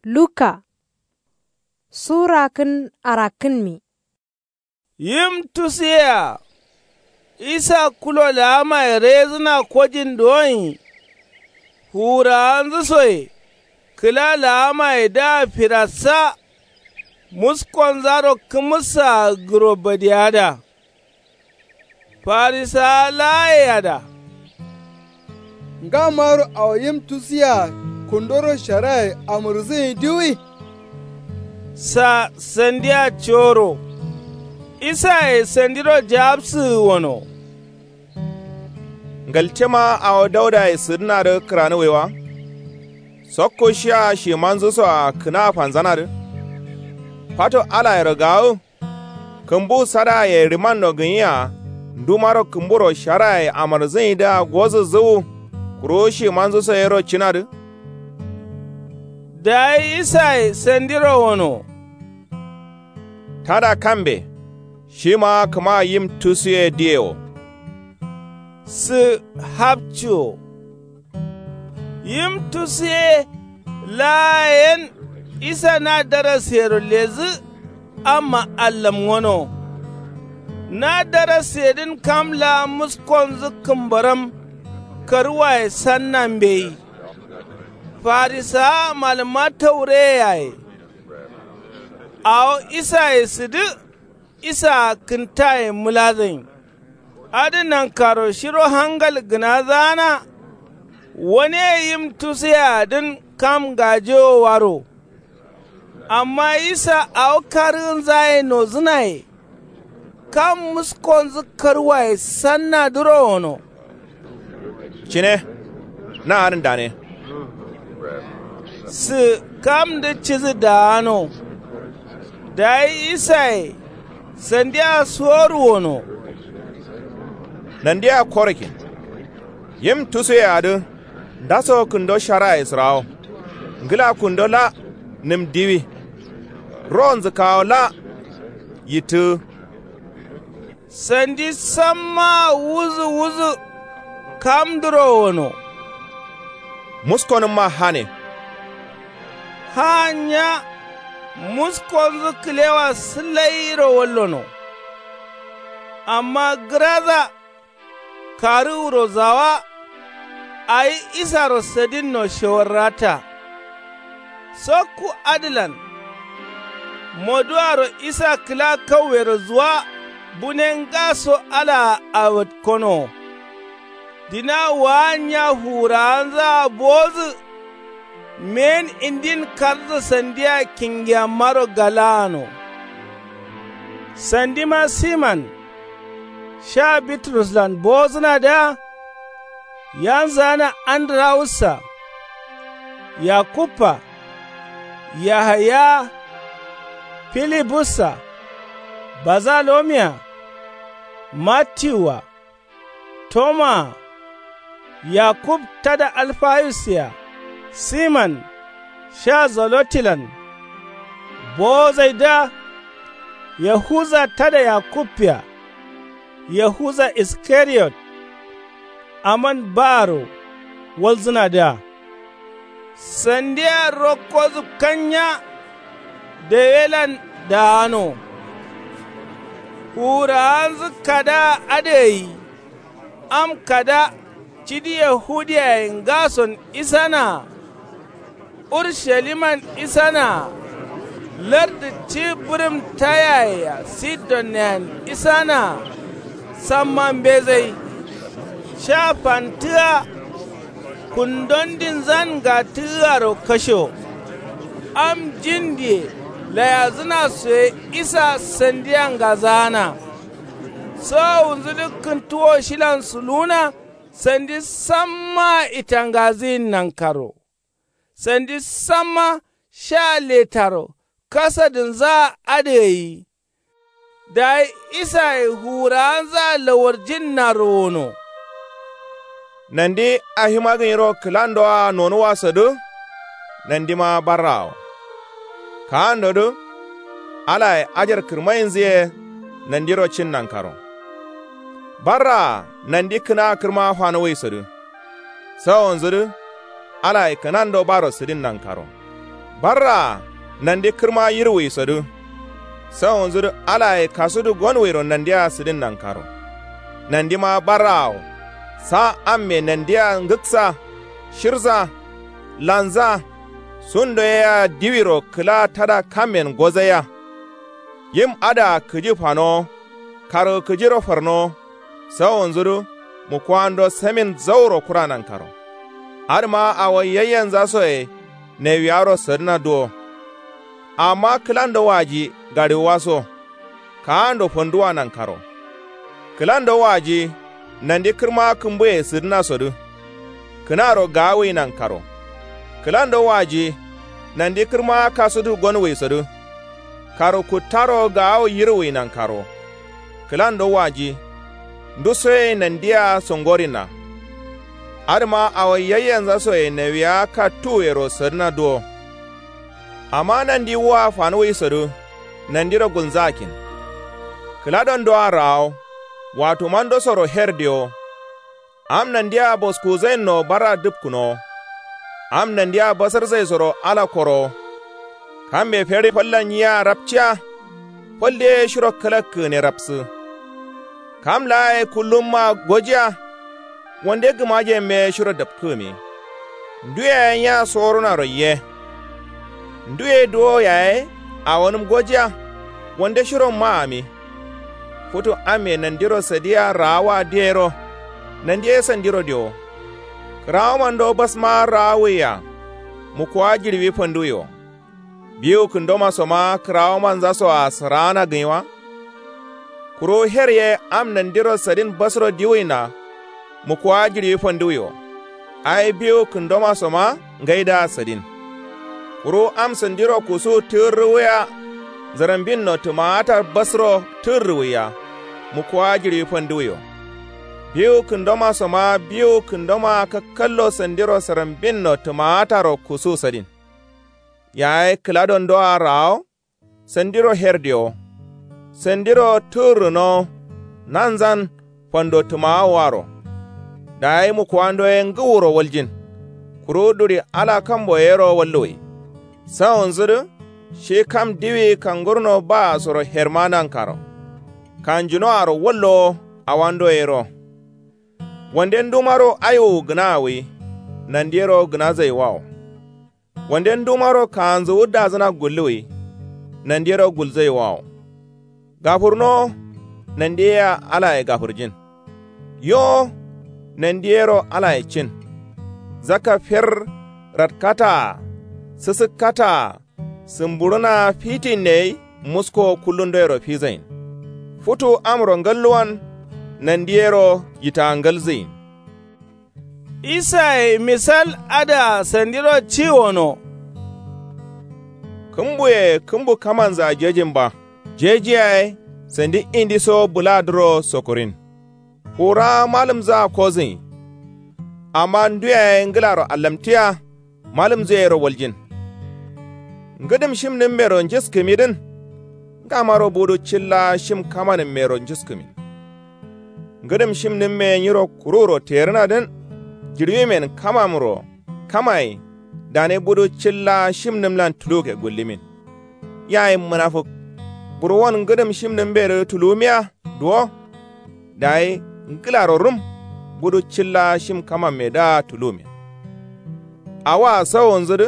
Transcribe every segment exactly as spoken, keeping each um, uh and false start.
Luka. Sura kǝn arakkǝnmi. Yim tusuyea. Isa kulo laamaye rejǝna kojin duwonyi. Fuwurawanzǝ soye kǝla laamaye dǝa firassa. Muskonzaro kǝmǝssaa gǝro badiyada. Farisawa laaye ada. Ngamaro awo yim tusuyea kundoro sharaye amǝrzǝnyi diwi. Sa sandia coro. Isaye sandiro jawabsǝgǝ wono. Ngaltema awo daudaye sǝdǝnadǝ kǝranǝwaiwa. Sokko shiya shimanzǝsoa kǝna fanzanadǝ. Fato alayero gawǝ. Kǝmbu sadaye rimanno gǝnyiya. Ndumaro kǝmburo sharaye amǝrzǝnyidǝa gozǝzǝwu. Kuru shimanzǝso yero cinadǝ. Dayi isaye sandiro wono. Tada kambe. Shima kǝma yim tusuye diyewo. Sǝ hapciwo. Yim tusuye laa yen. Isa na daraseyero lezǝ. Amma allamngono. Na darasedǝn kam laa muskonzǝ kǝmbaram. Karwaye sanna mbeyi. Farisawa malǝmma taureye yaye. Awo isaye sǝdǝ. Isaa kǝntaye mǝladǝnyi. Adǝ nankaro shiro hangal gǝnazana. Wane yim tusuyeadǝn kam ngajewo waro. Amma isa awo karǝgǝnzaye nozǝnaye. Kam muskonzǝ karwaye sannadǝro wono. Cine. Na adǝn dane. Sǝ kamdǝ cidǝ daano. Dayi isaye sandia soru wono. Nandia korokin. Yim tusuyeadǝ. Ndaso kǝndo sharaye sǝrawo. Ngǝla kundo la. Nǝm diwi. Ronzǝ kawo la. Yittǝgǝ. Sandi sammaa wuzǝ wuzǝ. Kamdǝro wono. Muskonǝmma hane. Hanya. Muskonzǝ kǝlewa sǝlairo wallono. Amma gǝraza. Karǝ wuro zawa. Awi isaro sadinno shewarrata. Sokku adǝlan. Moduwaro isa kǝla kauwero zuwa. Bune ngaso alaa awatkonowo. Dina waanya fuwurawanzaa bowozǝ. Men indin karza sandia kingiyammaro galaano. Sandima siman. Sha bitruslan bowozǝnadǝa. Yanzǝgana andǝrawussa. Yakubba. Yahaya. Filibussa. Bazalomiya. Mattiwua. Tomaa. Yakub tada alfayusiya. Siman. Sha zolotilan. Bowozaidǝa. Yahuza tada yakubbiya. Yahuza iskariyot. Aman baaro. Walzǝnadǝa. Sandia rokkozǝ kanya. Dawelan daano. Fuwurawanzǝ kadaa adǝ gai. Am kada. Cidi yahudiyaye ngason isanaa. Urshaliman isanaa. Lardǝ ci bǝrǝm tayaye-a sidonneyan isanaa. Samma mbezai. Sha fantǝgǝa. Kundondinzan ngatǝgǝaro kashewo. Am jindiye layazǝnasoye isa sandia ngazaana. Sawowunzudǝ kǝntuwo shilan suluwuna. Sandi sammaa itangazǝyin nankaro. Sandi samma sha letaro kasadǝnzaa adǝ gai. Dayi isaye fuwurawanzaa lawarjinnaro wono. Nandi ahima gǝnyiro kǝlandoa nonuwasodǝ. Nandima barraawo. Kaandodǝ. Alaye ajar kǝrmayinzǝ ye. Nandiro cin nankaro. Barraa nandi kǝna kǝrma fanuwuisodǝ. Sawonzudǝ. Alaye kǝnando baro sǝdin nankaro. Barraa nandi kǝrma yirwuisodǝ. Sawonzudǝ alaye kasudu gonwuiro nandia sǝdin nankaro. Nandima barraawo sa amme nandia ngǝksa shirza lanza sundo yea diwiro kǝla tada kammen gozaiya. Yim adǝa kǝji fanowo kargǝ kǝjiro farnowo. Sawonzudǝ mukuwando samin zauro kura nankaro. Adǝma awo yayyanzasoye newiyaro sǝdǝna duwo. Amma kǝlando waji gaɍiwuwaso kaando fanduwa nankaro. Kǝlando waji nandi kǝrma kǝmbuye sǝdǝnasodǝ kǝnaro gaawui nankaro. Kǝlando waji nandi kǝrma kasudu gonwuisodǝ kargǝ kuttaro gaawo yirwui nankaro. Kǝlando waji ndusoye nandia songorinna. Adǝma awo yayyanzasoye newiya kattuwuyero sǝdǝna duwo. Amma nandi wua fanuwuisodǝ nandiro gulnzakin. Kǝladondoa raawo watumandosoro her diwo. Am nandia boskuzainnoo barra dǝpkǝnowo. Am nandia basarzaisoro ala korowo. Kambe fere fallan nyia rapciya. Fal deye shiro kalakkǝgǝne rapsǝ. Kam laa ye kullumma gojiya. Wande gǝmajemme shiro dapkǝgǝmi. Ndu yaye nya sorunaro ye. Ndu ye duwo yaye awonǝm gojiya. Wande shiro maami. Futu amme nandiro sadiya raawa diyero. Nandi ye sandiro diwo. Kǝrawomando basma raawuiya. Mukuwa jiɍiwi fanduwi wo. Biwu kǝndomasoma kǝrawomanzasoa sǝraana gǝnyi wa. Kuru her ye am nandiro sadin basro diwuina. Mukuwa jiɍiwi fanduwi wo. Ai biwu kǝndomasoma ngaidǝa sadin. Kuru am sandiro kusu tǝgǝrrǝwuya. Zǝrambinno tǝmaatar basro tǝgǝrrǝwuya. Mukuwa jiɍiwi fanduwi wo. Biwu kǝndomasoma biwu kǝndoma kakkallo sandiro sǝrambinno tǝmaataro kusu sadin. Yaye kǝladondoa raawo. Sandiro her diwo. Sandiro tǝgǝrrǝnowo. Nanzan fando tǝmawowaro. Dayi mukuwando ye ngǝwuro waljin. Kuru duɍi ala kambo yero walluwi. Sawonzudǝ shi kam diwi kangurno baasoro herma nankaro. Kanjunoaro wallowo awando yero. Wande ndumaro aiwowu gǝnawuwi. Nandiyero gǝnazaiwawo. Wande ndumaro kaanzuwu dazǝna gulluwi. Nandiyero gulzaiwawo. Gafurnowo. Nandiyea alaye gafurjin. Yo. Nandiyero alaye cin. Zakka fir. Ratkataa. Sǝsǝkkataa. Sǝmbuɍǝna fitinne yai musko kullundoyero fizain. Futu amro ngalluwan. Nandiyero yitangalzǝyin. Isaye misal adǝa sandiro ciwono. Kǝmbuye kǝmbu kamanzǝa jejin ba. Jeji yaye sandi indiso bǝladǝro sokurin. Kura malǝmzǝa kozǝnyi. Amma ndu yaye ngǝlaro allamtiya. Malǝmzǝ yero waljin. Ngǝdǝm shimnǝmmero njiskǝmidǝn. Ngamaro budu cilla shim kamanǝmmero njiskǝmin. Ngǝdǝm shimnǝmme nyiro kururo terǝnadǝn. Jiɍiwimen kamamro kamaye. Dane budu cilla shimnǝmlan tulukke gullimin. Yayi mǝnafuk. Burwon ngǝdǝm shimnǝmmedǝ tulumiya. Duwo. Dayi ngǝlaro rum. Budu cilla shim kamammedǝa tulumin. Awoa sawonzudǝ.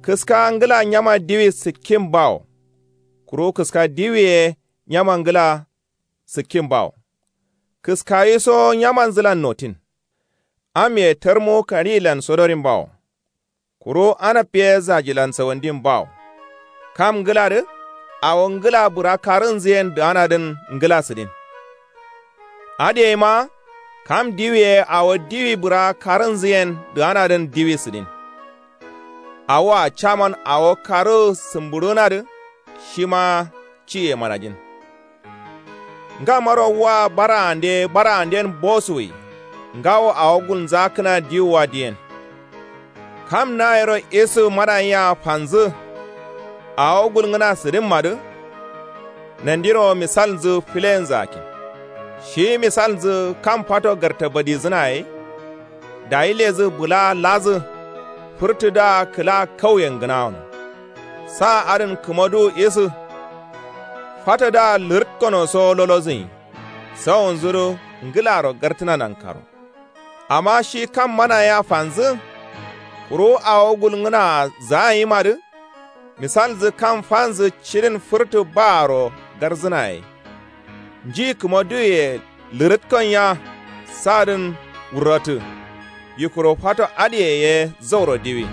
Kǝska ngǝla nyama diwi sǝkkin bawo. Kuru kǝska diwi ye nyama ngǝla sǝkkin bawo. Kǝskawiso nyamanzǝlan notin. Am ye tarmu kaniyilan sodorin bawo. Kuru anab ye zajilan sawandin bawo. Kam ngǝladǝ awo ngǝla bǝra karǝnzǝyen dǝganadǝn ngǝla sǝdin. Adǝ yeima kam diwi ye awo diwi bǝra karǝnzǝyen dǝganadǝn diwi sǝdin. Awoa caman awo karǝ sǝmbuɍǝnadǝ shima ciye manajin. Ngamaro wa baraande baraanden bosuwi. Ngawo awo gulnzakǝna diwuwa diyen. Kam nayero isǝ mananyia fanzǝ. Awo gulngǝna sǝdǝmmadǝ. Nandiro misalnzǝ filenzakin. Shi misalnzǝ kam fato gartabadizǝna ye. Dayi ledǝ bǝla ladǝ. Fǝrtǝdǝa kǝla kauyen gǝnawono. Sa adǝn kǝmadu isǝ. Fatodǝa lǝrǝtkono so lolozǝnyi. Sawunzudǝ ngǝlaro gartǝna nankaro. Amma shi kam mana yea fanzǝ. Kuru awo gulngǝnaa zaanyimadǝ. Misalnzǝ kam fanzǝ cidin fǝrtǝ baaro garzǝna ye. Nji kǝma duye lǝrǝtkon ya. Sadǝn wurratǝ. Yikuro fato adǝye ye zauro diwi.